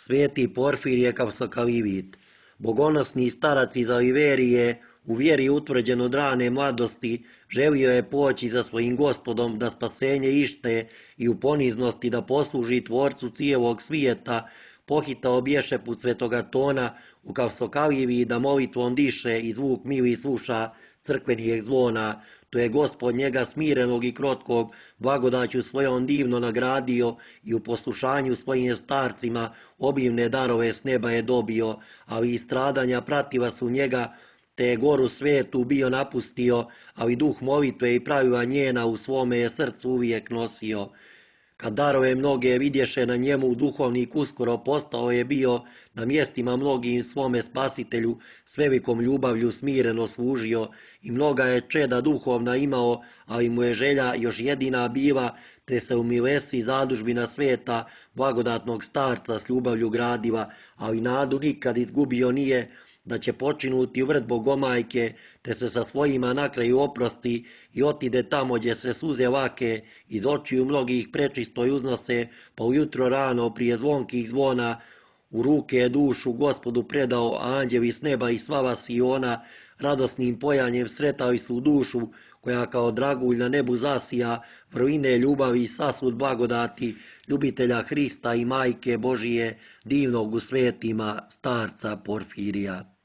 Sveti Porfirije Kapsokavivit, bogonosni starac iz Oliverije, u vjeri utvrđen od rane mladosti, želio je poći za svojim Gospodom da spasenje ište i u poniznosti da posluži Tvorcu cijelog svijeta, pohitao bješe put svetoga Tona u Kapsokavivi da molitvom diše i zvuk mili sluša crkvenih zvona. To je Gospod njega smirenog i krotkog blagodaću svojom divno nagradio i u poslušanju svojim starcima obimne darove s neba je dobio, ali i stradanja pratila su njega, te je goru svetu bio napustio, ali duh molitve i pravila njena u svome je srcu uvijek nosio. Kad darove mnoge vidješe na njemu, duhovnik uskoro postao je bio, na mjestima mnogim svome spasitelju s velikom ljubavlju smireno služio i mnoga je čeda duhovna imao, ali mu je želja još jedina bila, te se u milesi zadužbina sveta blagodatnog starca s ljubavlju gradiva, ali nadu nikad izgubio nije, da će počinuti u vrt Bogomajke, te se sa svojima na kraju oprosti i otide tamo gdje se suze lake iz očiju mnogih prečistoj uznose, pa ujutro rano prije zvonkih zvona u ruke je dušu Gospodu predao, a anđeli s neba i slava Siona radosnim pojanjem sretali su dušu koja kao dragulj na nebu zasija, vrline ljubavi i sasvud blagodati ljubitelja Hrista i Majke Božije, divnog u svetima starca Porfirija.